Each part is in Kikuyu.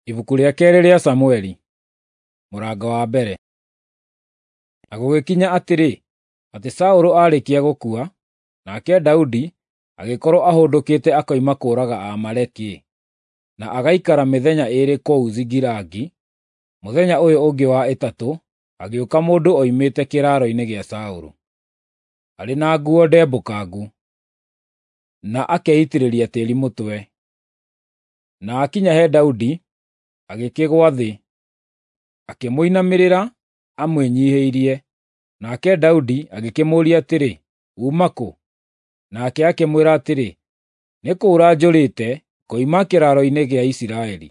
Ibuku rĩa keerĩ rĩa Samũeli, mũrango wa mbere. Na gũgĩkinya atĩrĩ, atĩ Saũlũ aarĩkia gũkua, nake Daudi agĩkorwo ahũndũkĩte akoima kũũraga Aamaleki, na agaikara mĩthenya ĩĩrĩ kũu Zikilagi, mũthenya ũyũ ũngĩ wa ĩtatũ agĩũka mũndũ oimĩte kĩraaro-inĩ gĩa Saũlũ, arĩ na nguo ndembũkangu, na akeitĩrĩria tĩĩri mũtwe. Na akinya he Daudi, agĩkĩgũa thĩ, akĩmũinamĩrĩra amwĩnyiihĩirie. Nake Daudi agĩkĩmũũria atĩrĩ, “Uuma kũ?” Nake akĩmwĩra atĩrĩ, “Nĩ kũũra njũrĩte ngoima kĩraaro-inĩ gĩa Isiraeli.”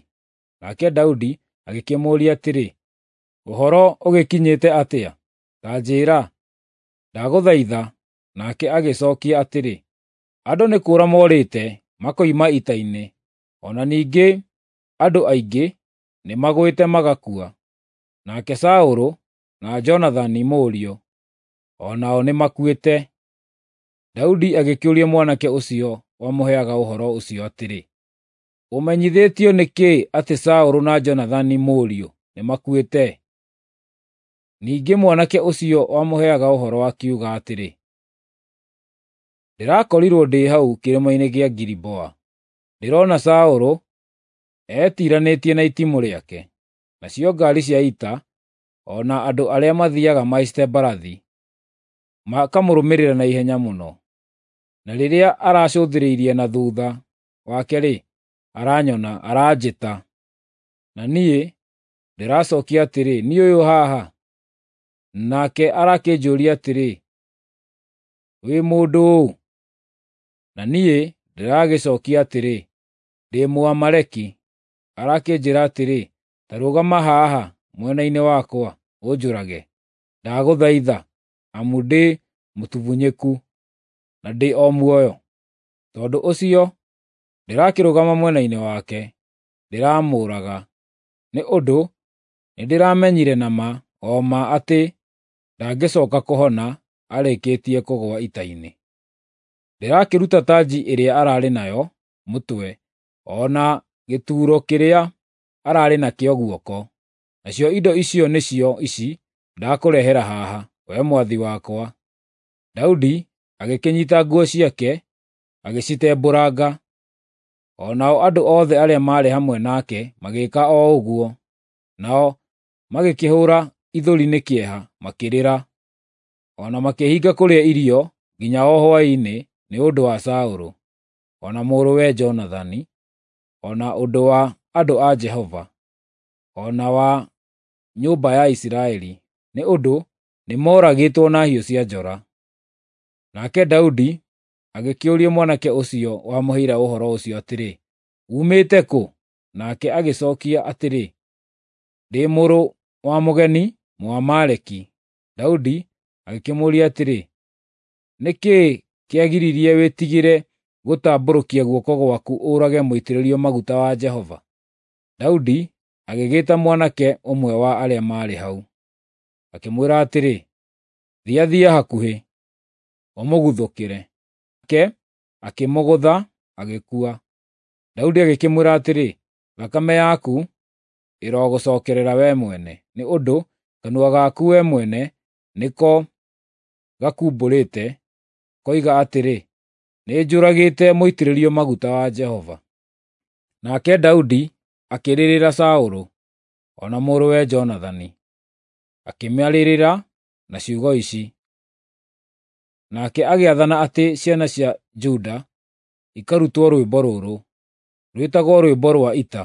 Nake Daudi agĩkĩmũũria atĩrĩ, “Ũhoro ũgĩkinyĩte atĩa? Ta njĩĩra, ndagũthaitha.” Nake agĩcookia atĩrĩ, “Andũ nĩ kũũra morĩte makoima ita-inĩ, o na ningĩ andũ aingĩ nĩmagwĩte magakua. Nake Saũlũ na Jonathani mũriũ o nao nĩmakuĩte.” Daudi agĩkĩũria mwanake ũcio wamũheaga ũhoro ũcio atĩrĩ, “Ũmenyithĩtio nĩ kĩĩ atĩ Saũlũ na Jonathani mũriũ nĩmakuĩte?” Ningĩ mwanake ũcio wamũheaga ũhoro akiuga atĩrĩ, “Ndĩrakorirwo ndĩ hau kĩrĩma-inĩ gĩa Giliboa, ndĩrona Saũlũ etiranĩtie na itimũ rĩake, nacio ngaari cia ita o na andũ arĩa mathiiaga mahaicĩte mbarathi makamũrũmĩrĩra na ihenya mũno. Na rĩrĩa aracũthĩrĩirie na thuutha wake-rĩ, aranyona, aranjĩta. Na niĩ ndĩracookia atĩrĩ, ‘Niĩ ũyũ haha.’ Nake arakĩnjũũria atĩrĩ, ‘Wĩ mũndũ ũũ?’ Na niĩ ndĩragĩcookia atĩrĩ, ‘Ndĩ Mũamaleki.’ Arakĩnjĩĩra atĩrĩ, ‘Ta rũgama haha mwena-inĩ wakwa, ũnjũrage, ndagũthaitha, amu ndĩ mũtubunyĩku, na ndĩ o muoyo.’ Tondũ ũcio ndĩrakĩrũgama mwena-inĩ wake, ndĩramũũraga, nĩ ũndũ nĩndĩramenyire na ma o ma atĩ ndangĩcooka kũhona arĩkĩtie kũgũa ita-inĩ. Ndĩrakĩruta tanji ĩrĩa ararĩ nayo mũtwe, o na gĩturo kĩrĩa ararĩ nakĩo guoko. Nacio indo icio nĩcio ici ndakũrehera haha, wee mwathi wakwa.” Daudi agĩkĩnyiita nguo ciake agĩcitembũranga, o nao andũ othe arĩa maarĩ hamwe nake magĩĩka o ũguo. Nao magĩkĩhũũra ithũri nĩ kĩeha makĩrĩra, o na makĩĩhinga kũrĩa irio nginya o hwaĩ-inĩ nĩ ũndũ wa Saũlũ, o na mũrũwe Jonathani, o na ũndũ wa andũ a Jehova, o na wa nyũmba ya Isiraeli, nĩ ũndũ nĩmooragĩtwo na hiũ cia njora. Nake Daudi agĩkĩũria mwanake ũcio wamũheire ũhoro ũcio atĩrĩ, “Uumĩte kũ?” Nake agĩcookia atĩrĩ, “Ndĩ mũrũ wa mũgeni, Mũamaleki.” Daudi agĩkĩmũũria atĩrĩ, “Nĩ kĩĩ kĩagiririe wĩtigĩre gũtambũrũkia guoko gwaku ũũrage mũitĩrĩrio maguta wa Jehova?” Daudi agĩgĩĩta mwanake ũmwe wa arĩa maarĩ hau, akĩmwĩra atĩrĩ, “Thiathia hakuhĩ, ũmũguthũkĩre.” Nake akĩmũgũtha, agĩkua. Daudi agĩkĩmwĩra atĩrĩ, “Thakame yaku ĩrogũcookerera wee mwene, nĩ ũndũ kanua gaku wee mwene nĩko gakumbũrĩte, koiga atĩrĩ, ‘Nĩnjũragĩte mũitĩrĩrio maguta wa Jehova.’ ” Nake Daudi akĩrĩrĩra Saũlũ, o na mũrũwe Jonathani, akĩmarĩrĩra na ciugo ici. Nake agĩathana atĩ ciana cia Juda ikarutwo rwĩmbo rũrũ, rwĩtagwo rwĩmbo rwa ita.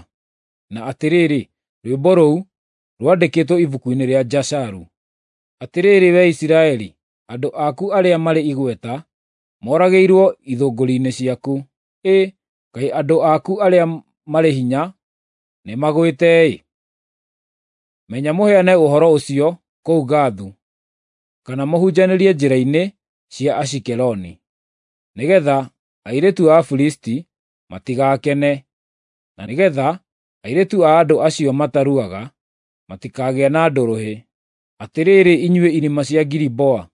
Na atĩrĩrĩ, rwĩmbo rũu rwandĩkĩtwo ibuku-inĩ rĩa Jasharu. Atĩrĩrĩ wee Isiraeli, andũ aku arĩa marĩ igweta moragĩirwo ithũngũri-inĩ ciaku. Ĩ, kaĩ andũ aku arĩa marĩ hinya nĩmagwĩte-ĩ! Menya mũheane ũhoro ũcio kũu Gathu, kana mũhunjanĩrie njĩra-inĩ cia Ashikeloni, nĩgeetha airĩtu a Afilisti matigakene, na nĩgeetha airĩtu a andũ acio mataruaga matikagĩe na ndũrũhĩ. Atĩrĩrĩ inyuĩ irĩma cia Giliboa,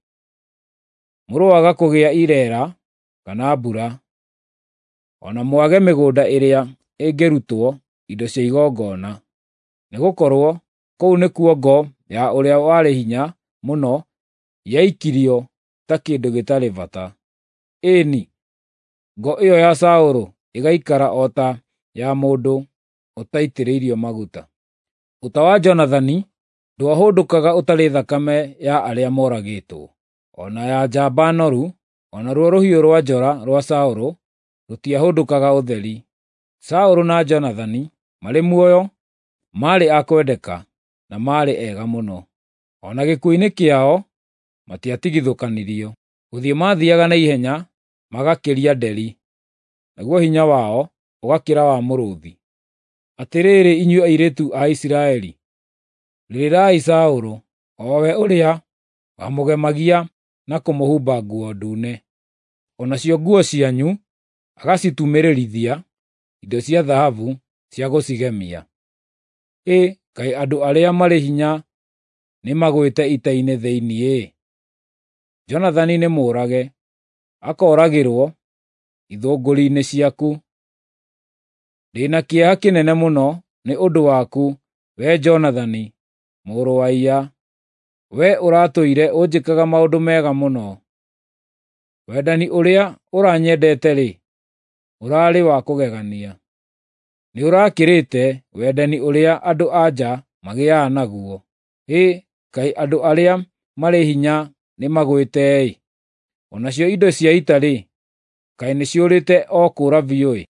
mũroaga kũgĩa ireera kana mbura, o na mwage mĩgũnda ĩrĩa ĩngĩrutwo indo cia igongona. Nĩgũkorwo kũu nĩkuo ngo ya ũrĩa warĩ hinya mũno yaikirio ta kĩndũ gĩtarĩ bata. Ĩĩ-ni, ngo ĩyo ya Saũlũ ĩgaikara o ta ya mũndũ ũtaitĩrĩirio maguta. Ũta wa Jonathani ndwahũndũkaga ũtarĩ thakame ya arĩa moragĩtwo, o na ya njamba noru, o naruo rũhiũ rwa njora rwa Saũlũ rũtiahũndũkaga ũtheri. Saũlũ na Jonathani marĩ muoyo maarĩ a kwendeka na maarĩ ega mũno. O na gĩkuũ-inĩ kĩao matiatigithũkanirio. Gũthiĩ maathiiaga na ihenya magakĩria nderi, naguo hinya wao ũgakĩra wa mũrũũthi. Atĩrĩrĩ inyuĩ airĩtu a Isiraeli, rĩrĩrai Saũlũ, o we ũrĩa wamũgemagia na kũmũhumba nguo ndune, o nacio nguo cianyu agacitumĩrĩrithia indo cia thahabu cia gũcigemia. Ĩ kaĩ andũ arĩa marĩ hinya nĩmagwĩte ita-inĩ thĩinĩ-ĩ! Jonathani nĩmũũrage, akooragĩrwo ithũngũri-inĩ ciaku. Ndĩ na kĩeha kĩnene mũno nĩ ũndũ waku, wee Jonathani, mũrũ wa iya. Wee ũratũire ũnjĩkaga maũndũ mega mũno. Wendani ũrĩa ũranyendete-rĩ, ũraarĩ wa kũgegania. Nĩũrakĩrĩte wendani ũrĩa andũ-a-nja magĩaga naguo. Hĩ, kaĩ andũ arĩa marĩ hinya nĩmagwĩte-ĩ! O nacio indo cia ita-rĩ, kaĩ nĩciũrĩte o kũũra biũ-ĩ!